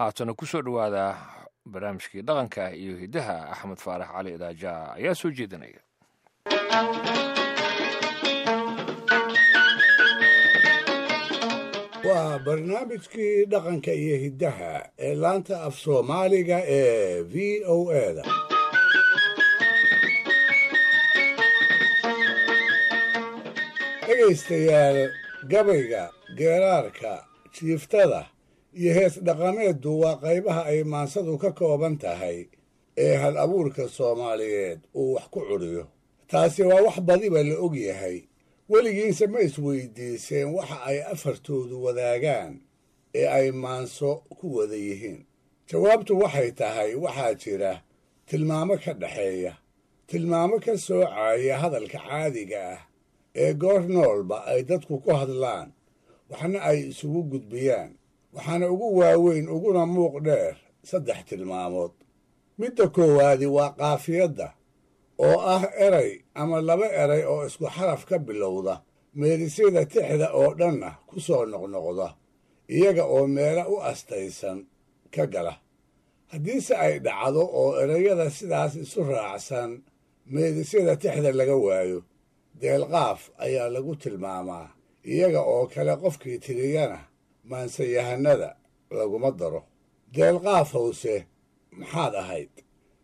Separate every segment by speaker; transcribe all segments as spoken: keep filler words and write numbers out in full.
Speaker 1: Haatana ku soo dhowaada barnaamijkii dhaqanka iyo hiddaha. Axmed Faarax Cali Idaaja ayaa soo jeedinaya.
Speaker 2: Waa barnaamijkii dhaqanka iyo hiddaha ee laanta af Soomaaliga ee V O A da. Dhegaystayaal, gabayga, geeraarka, jiiftada iyo hees dhaqameeddu waa qaybaha ay maansadu ka kooban tahay ee hal abuurka Soomaaliyeed uu wax ku curiyo. Taasi waa wax badiba la og yahay. Weligiinse ma isweydiiseen waxa ay afartoodu wadaagaan ee ay maanso ku wada yihiin? Jawaabtu waxay tahay, waxaa jira tilmaamo ka dhexeeya, tilmaamo ka soocaya hadalka caadiga ah ee goor noolba ay dadku ku hadlaan, waxna ay isugu gudbiyaan. Waxaana ugu waaweyn uguna muuq dheer saddex tilmaamood. Midda koowaadi waa qaafiyadda, oo ah eray ama laba eray oo isku xaraf ka bilowda, meelisyada tixda oo dhanna ku soo noqnoqda, iyaga oo meelo u astaysan ka gala. Haddiise ay dhacdo oo erayada sidaas isu raacsan meelisyada tixda laga waayo, deelqaaf ayaa lagu tilmaamaa. Iyaga oo kale qofkii tiriyana maansayahanada laguma daro. Deelqaaf howse maxaad ahayd?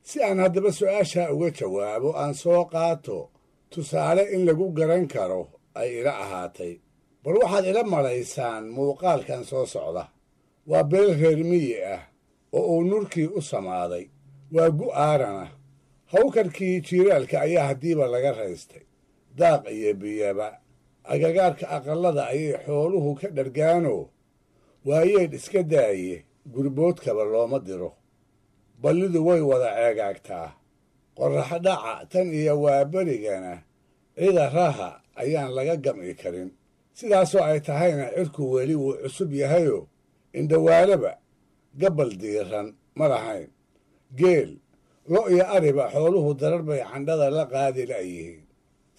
Speaker 2: Si aan haddaba su'aashaa uga jawaabo, aan soo qaato tusaale in lagu garan karo ay ila ahaatay. Bal waxaad ila malaysaan muuqaalkan soo socda. Waa beel reer miyi ah oo uu nurkii u samaaday. Waa gu aarana. Hawkarkii jiiraalka ayaa haddiiba laga raystay. Daaq iyo biyaba agagaarka aqallada ayay xooluhu ka dhargaanoo, waayeedh iska daaye, gurboodkaba looma diro. Ballidu way wada ceegaagtaa. Qorraxdhaca tan iyo waaberigana cida raha ayaan laga gam'i karin. Sidaasoo ay tahayna, cirku weli wuu cusub yahayoo indhawaalaba gabbal diiran ma lahayn. Geel, lo' iyo ariba xooluhu darar bay candhada la qaadi la'yihiin.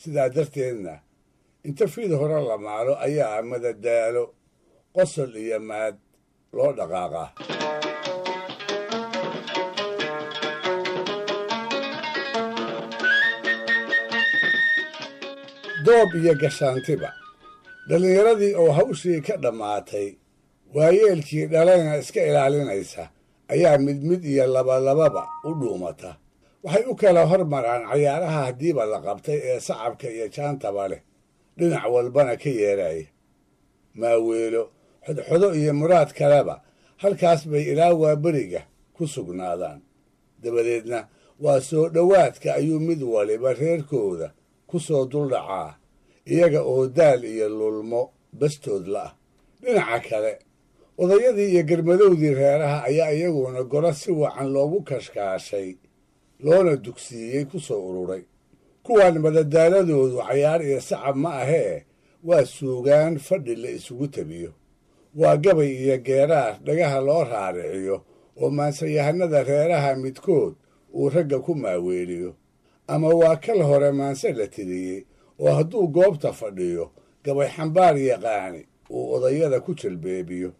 Speaker 2: Sidaa darteedna inta fiid hore la maalo ayaa madadaalo, qosol iyo maad loo dhaqaaqaa. Doob iyo gashaantiba, dhallinyaradii oo hawshii ka dhammaatay, waayeelkii dhalayna iska ilaalinaysa, ayaa mid mid iyo labalababa u dhuumata. Waxay u kala hormaraan cayaaraha haddiiba la qabtay ee sacabka iyo jaantaba leh, dhinac walbana ka yeeraya. Maaweelo, xodxodo iyo muraad kaleba halkaas bay ilaa waaberiga ku sugnaadaan. Dabadeedna waa soo dhowaadka ayuu mid waliba reerkooda ku soo duldhacaa, iyaga oo daal iyo lulmo bastood la'ah. Dhinaca kale, odayadii iyo garmadowdii reeraha ayaa iyaguna golo si wacan loogu kashkaashay loona dugsiiyey ku soo ururay. Kuwaan madadaaladoodu cayaar iyo sacab ma ahee, waa suugaan fadhi la isugu tabiyo, waa gabay iyo geeraar dhagaha loo raariciyo oo maansayahanada reeraha midkood uu ragga ku maaweeliyo, ama waa kal hore maanse la tiriyey oo hadduu goobta fadhiyo gabay xambaar yaqaani uu odayada ku jalbeebiyo.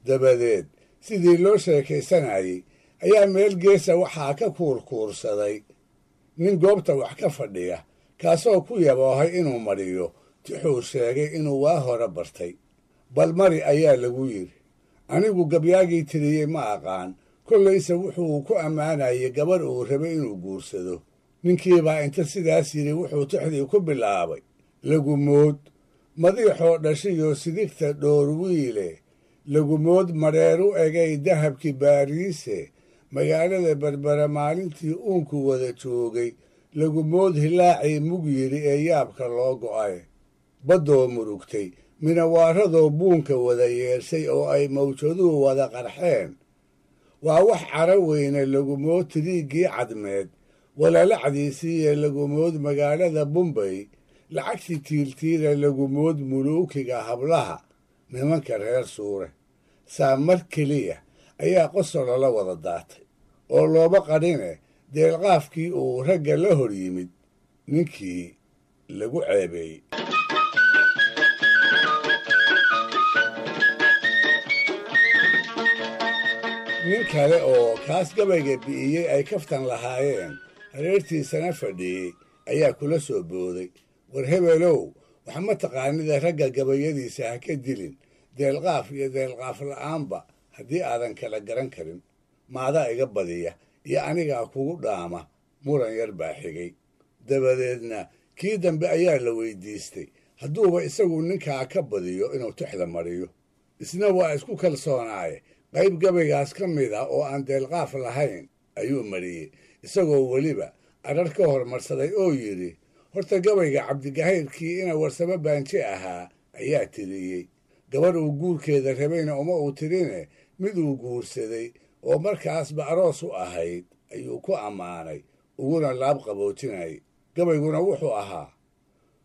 Speaker 2: Dabadeed sidii loo sheekaysanayey ayaa meel geesa waxaa ka kuurkuursaday nin goobta wax ka fadhiya, kaasoo ku yaboohay inuu mariyo tixuu sheegay inuu waa hore bartay. "Bal mari," ayaa lagu yidhi. "Anigu gabyaagii tiriyey ma aqaan, kollayse wuxuu ku ammaanayay gabadh uu rabay inuu guursado." Ninkiibaa inta sidaas yidhi wuxuu tixdii ku bilaabay: "Lagumood madiixoo dhashiyo sidigta dhoorwiile, lagumood mareeru egay dahabkii Baariise, magaalada Berbera maalintii uunku wada joogay, lagumood hilaacii mug yidhi ee yaabka loo go'ay, baddoo murugtay, minawaaradoo buunka wada yeeshay oo ay mawjaduhu wada qarxeen, waa wax caro weyne. Lagumood tiriiggii cadmeed walalacdiisiiye, lagumood magaalada Bumbay lacagtii tiiltiila, lagumood muluukiga hablaha nimanka reer Suure." Saa mar keliya ayaa qosol lala wada daatay oo looba qadhine deelqaafkii uu ragga la hor yimid ninkii lagu ceebeeyey. Nin kale oo kaas gabayga bi'iyey ay kaftan lahaayeen hareertiisana fadhiyey ayaa kula soo booday, war hebelow, wax ma taqaanida ragga gabayadiisa ha ka dilin, deelqaaf iyo deelqaaf la'aanba haddii aadan kala garan karin. Maadaa iga badiya iyo anigaa kugu dhaama? Muran yar baa xigay. Dabadeedna kii dambe ayaa la weydiistay hadduuba isagu ninkaa ka badiyo inuu tixda mariyo. Isna waa isku kalsoonaaye, qayb gabaygaas ka mid ah oo aan deelqaaf lahayn ayuu mariyey, isagoo weliba adrar ka hormarsaday oo yidhi, horta gabayga Cabdigahayrkii ina Warsamo Baanje ahaa ayaa tiriyey, gabadh uu guurkeeda rabayna uma uu tirine, mid uu guursaday oo markaasba aroos u ahayd ayuu ku ammaanay uguna laab qaboojinayay. Gabayguna wuxuu ahaa,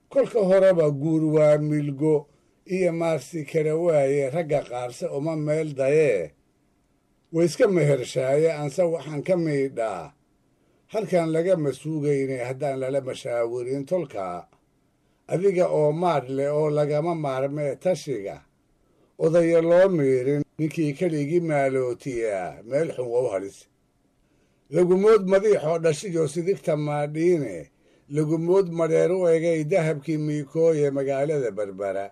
Speaker 2: kolka horeba guur waa milgo iyo maarsi kala waaye, ragga qaarse uma meel dayee, wayska mehershaaye, anse waxaan ka miidhaa halkan lagama suugaynay haddaan lala mashaawirin tolkaa, adiga oo maadh leh oo lagama maarmee tashiga odaya loo miirin, ninkii keligii maalootiyaa meel xun wow halis. Lagumood madiixoo dhashiyo sidigta maadhiine, lagumood madheer u egay dahabkii miikooye magaalada Berbera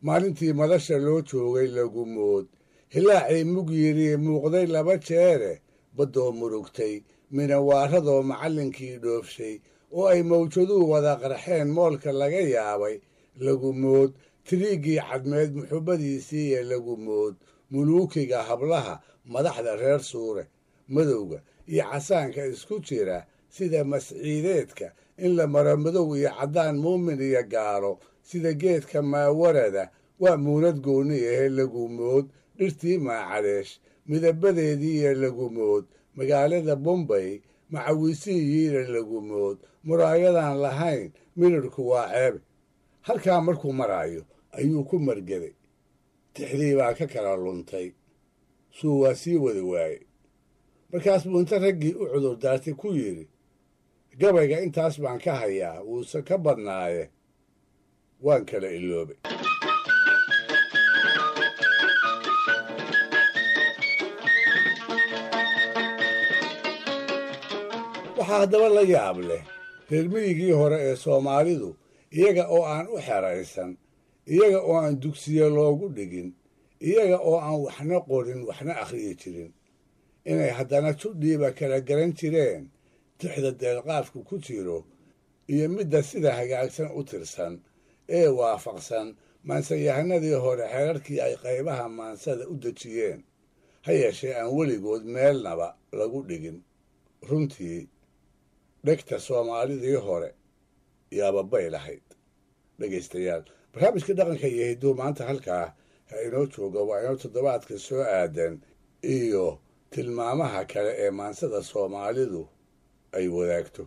Speaker 2: maalintii madasha loo joogay, lagumood hilaacii mug yidhi muuqday laba jeere, baddoo murugtay minawaaradoo macallinkii dhoofshay oo ay mawjaduhu wada qarxeen moolka laga yaabay, lagumood tiriiggii cadmeed muxubbadiisiiye, lagumood muluukiga hablaha madaxda reer Suure, madowga iyo casaanka isku jira sida masciideedka in la maro madow iyo caddaan muumin iyo gaalo sida geedka maawarada waa muunad gooni ahe, lagumood dhirtii maacaleesh midabadeediiyo lagumood magaalada Bombay macawiisiyiina, lagumood muraayadan lahayn midhirhku waa ceebe. Halkaa markuu maraayo ayuu ku margeday, tixdii baa ka kala luntay, suu waa sii wadi waayey. Markaas buu inta raggii u cudur daartay ku yidhi, gabayga intaas baan ka hayaa, wuuse ka badnaaye waan kala iloobay. Waxaa haddaba la yaab leh reer miyigii hore ee Soomaalidu, iyaga oo aan u xeraysan, iyaga oo aan dugsiye loogu dhigin, iyaga oo aan waxna qorin waxna akhriyi jirin, inay haddana judhiiba kala garan jireen tixda deelqaafku ku jiro iyo midda sida hagaagsan u tirsan ee waafaqsan maansayahanadii hore xeerarkii ay qaybaha maansada u dejiyeen, ha yeeshee aan weligood meelnaba lagu dhigin. Runtii dhegta Soomaalidii hore yaababay lahayd. Dhegaystayaal, barnaamijka dhaqanka iyo hidduu maanta halkaa ha inoo jooga, waa inoo toddobaadka soo aadan iyo tilmaamaha kale ee maansada Soomaalidu ay wadaagto.